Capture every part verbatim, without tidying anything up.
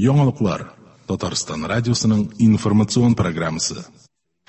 Яңалыклар. Татарстан радиосының информацион программасы.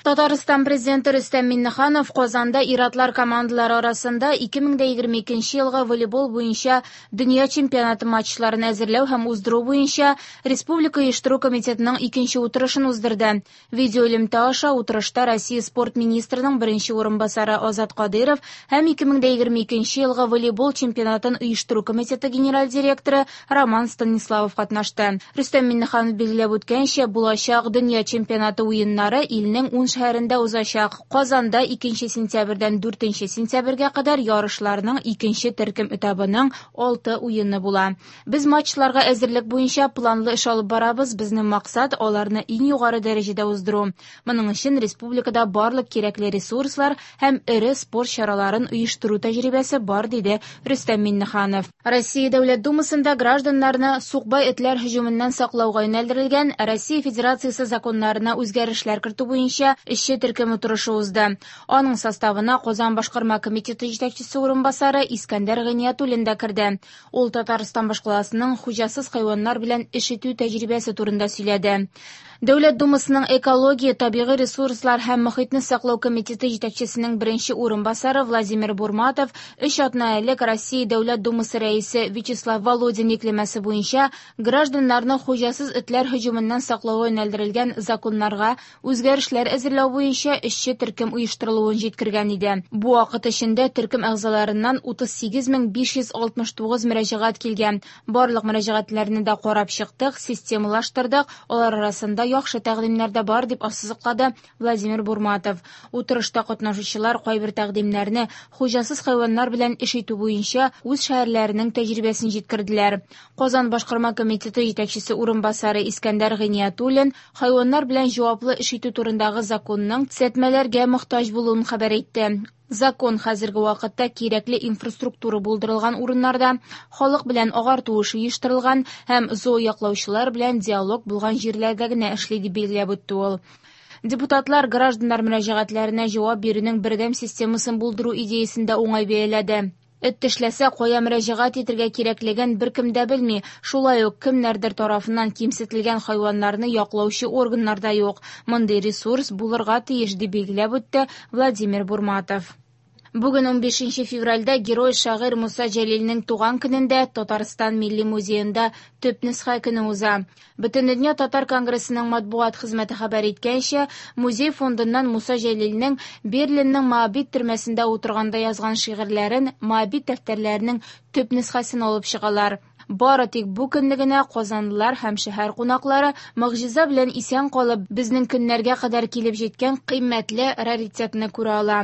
Татарстан президенты Рөстәм Миңнеханов Казанда ир-атлар командалары арасында ике мең дә егерме икенче елгы волейбол буенча дөнья чемпионаты матчларын әзерләү һәм уздыру буенча Республика оештыру комитетының икенче утырышын уздырды. Видеоэлемтә аша утырышта Россия спорт министрының беренче урынбасары Азат Кадыров һәм ике мең дә егерме икенче елгы волейбол чемпионатын оештыру комитеты генераль директоры Роман Станиславов катнашты. Рөстәм Миңнеханов билгеләп үткәнчә, булачак дөнья чемпионаты уеннары илнең ун шәһәрендә узачак. Казанда икенче сентябрьдән дүртенче сентябрьгә кадәр ярышларның икенче төркем этабының алты уены була. Без матчларга әзерлек буенча планлы эш алып барабыз. Безнең максат аларны иң югары дәрәҗәдә уздыру. Моның өчен республикада барлык кирәкле ресурслар һәм эре спорт чараларын оештыру тәҗрибәсе бар, диде Рөстәм Миңнеханов. Россия Дәүләт Думасында гражданнарны сукбай этләр һөҗүменнән саклауга юнәлдерелгән Россия Федерациясе законнарына үзгәрешләр кертү буенча эшче төркем утырышы узды. Аның составына Казан башкарма комитеты җитәкчесе урынбасары Искәндәр Гыйниятуллин да керде. Ул Татарстан башкаласының хуҗасыз хайваннар белән эш итү тәҗрибәсе турында сөйләде. Дәүләт Думасының экология, табигый ресурслар һәм мохитне саклау комитеты җитәкчесенең беренче урынбасары Владимир Бурматов өч атна элек Россия Дәүләт Думасы рәисе Вячеслав Володин йөкләмәсе буенча гражданнарны хуҗасыз этләр һөҗүменнән саклауга юнәлдерелгән законнарга үзгәрешләр әзерләү буенча эшче төркем оештырылуын җиткергән иде. Бу вакыт эчендә төркем әгъзаларыннан утыз сигез мең биш йөз алтмыш тугыз мөрәҗәгать килгән. Барлык мөрәҗәгатьләрне дә карап чыктык, системалаштырдык. Алар арасында яхшы тәкъдимнәр дә бар, дип ассызыклады Владимир Бурматов. Утырышта катнашучылар кайбер тәкъдимнәрне хуҗасыз хайваннар белән эш итү буенча үз шәһәрләренең тәҗрибәсен җиткерделәр. Казан башкарма комитеты җитәкчесе урынбасары Искәндәр Гыйниятуллин хайваннар белән җаваплы эш итү турындагы законның төзәтмәләргә мохтаҗ булуын хәбәр итте. Закон хәзерге вакытта кирәкле инфраструктура булдырылган урыннарда, халык белән агарту эше оештырылган һәм зоояклаучылар белән диалог булган җирләрдә генә эшли, дип билгеләп үтте ул. Депутатлар гражданнар мөрәҗәгатьләренә җавап бирүнең бердәм системасын булдыру идеясын да уңай бәяләде. Эт тешләсә, кая мөрәҗәгать итергә кирәклеген беркем дә белми. Шулай ук кемнәрдер тарафыннан кимсетелгән хайваннарны яклаучы органнар да юк. Мондый ресурс булырга тиеш, дип билгеләп үтте Владимир Бурматов. Бүген унбишенче февральдә герой шагыйрь Муса Җәлилнең туган көнендә Татарстан Милли музеенда төп нөсхә көне уза. Бөтендөнья Татар конгрессының матбугат хезмәте хәбәр иткәнчә, музей фондыннан Муса Җәлилнең Берлинның Моабит төрмәсендә утырганда язган шигырьләрен Моабит дәфтәрләренең төп нөсхәсен алып чыгалар. Бары тик бу көнне генә казанлылар һәм шәһәр кунаклары могҗиза белән исән калып, безнең көннәргә кадәр килеп җиткән кыйммәтле раритетны күрә ала.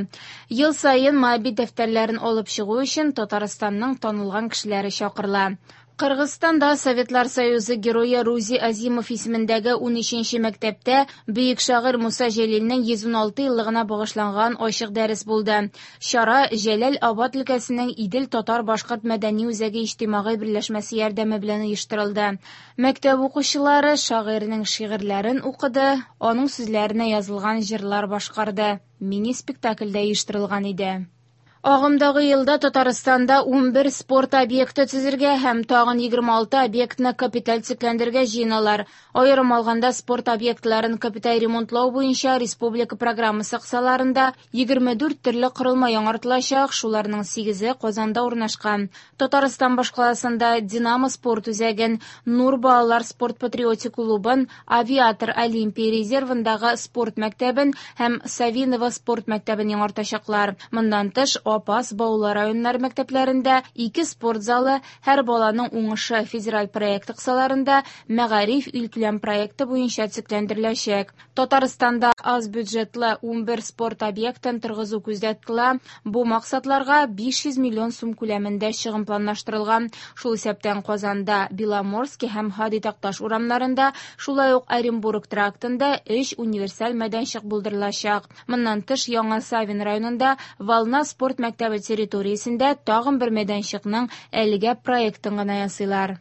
Ел саен Моабит дәфтәрләрен алып чыгу өчен Татарстанның танылган кешеләре чакырыла. Кыргызстанда Советлар Союзы герое Рузи Азимов исемендәге унөченче мәктәптә бөек шагыйрь Муса Җәлилнең йөз уналты еллыгына багышланган ачык дәрес булды. Чара Җәләл Абад өлкәсенең Идел татар-башкорт мәдәни үзәге иҗтимагый берләшмәсе ярдәме белән оештырылды. Мәктәп укучылары шагыйрьнең шигырьләрен укыды, аның сүзләренә язылган җырлар башкарды. Мини-спектакль дә оештырылган иде. Агымдагы елда Татарстанда унбер спорт объекты төзергә һәм тагын егерме алты объектны капиталь төзекләндерергә җыеналар. Аерым алганда спорт объектларын капиталь ремонтлау буенча республика программасы кысаларында егерме дүрт төрле корылма яңартылачак, шуларның сигезе Казанда урнашкан. Татарстан башкаласында Динамо спорт үзәген, Нур балалар спорт патриотик клубын, Авиатор Олимпия резервындагы спорт мәктәбен һәм Савиново спорт мәктәбен яңартачаклар. Моннан тыш, Апас, Баулы районнары мәктәпләрендә ике спорт залы, һәр баланың уңышы федераль проекты кысаларында Мәгариф илкүләм проекты буенча төзекләндереләчәк. Татарстанда аз бюджетлы унбер спорт объектын торгызу күздә тотыла. Бу максатларга биш йөз миллион сум күләмендә чыгым планлаштырылган. Шул исәптән Казанда, Беломорский һәм Һади Такташ урамнарында, шулай ук Оренбург трактында өч универсаль мәйданчык булдырылачак. Моннан тыш, Яңа Савин районында Волна спорт мәктәбе территориясендә тагын бер мәйданчыкның әлегә проектын гына ясыйлар.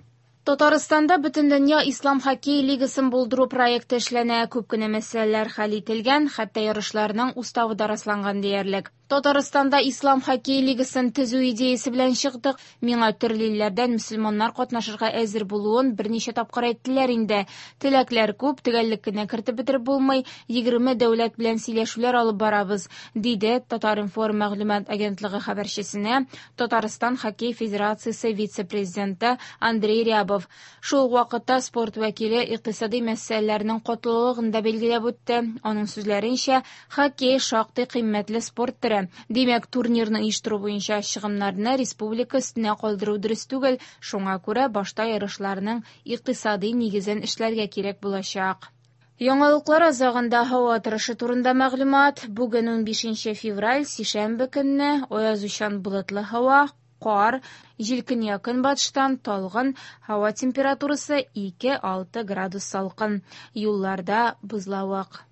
Татарстанда Бөтендөнья Ислам хоккей лигасын булдыру проекты эшләнә. Күп кенә мәсьәләләр хәл ителгән, хәтта ярышларның уставы да расланган диярлек. Татарстанда Ислам хоккей лигасын төзү идеясе белән чыктык. Миңа төрле илләрдән мөселманнар катнашырга әзер булуын берничә тапкыр әйттеләр инде. Теләкләр күп, төгәллек кенә кертеп бетереп булмый. Егерме дәүләт белән сөйләшүләр алып барабыз, диде Татар-информ мәгълүмат агентлыгы хәбәрчесенә Татарстан хоккей федерациясе вице-президенты Андрей Рябов. Шул ук вакытта спорт вәкиле икътисади мәсьәләләрнең катлаулылыгын да билгеләп үтте. Аның сүзләренчә, хоккей шактый кыйммәтле спорт төре. Димәк, турнирны оештыру буенча чыгымнарны республика өстенә калдыру дөрес түгел. Шуңа күрә башта ярышларның икътисади нигезен эшләргә кирәк булачак. Яңалыклар азагында һава торышы турында мәгълүмат. Бүген унбишенче февраль, сишәмбе көнне аязучан болытлы һава, кар, җил көньяк-көнбатыштан талгын, һава температурасы ике-алты градус салкын. Юлларда бозлавык.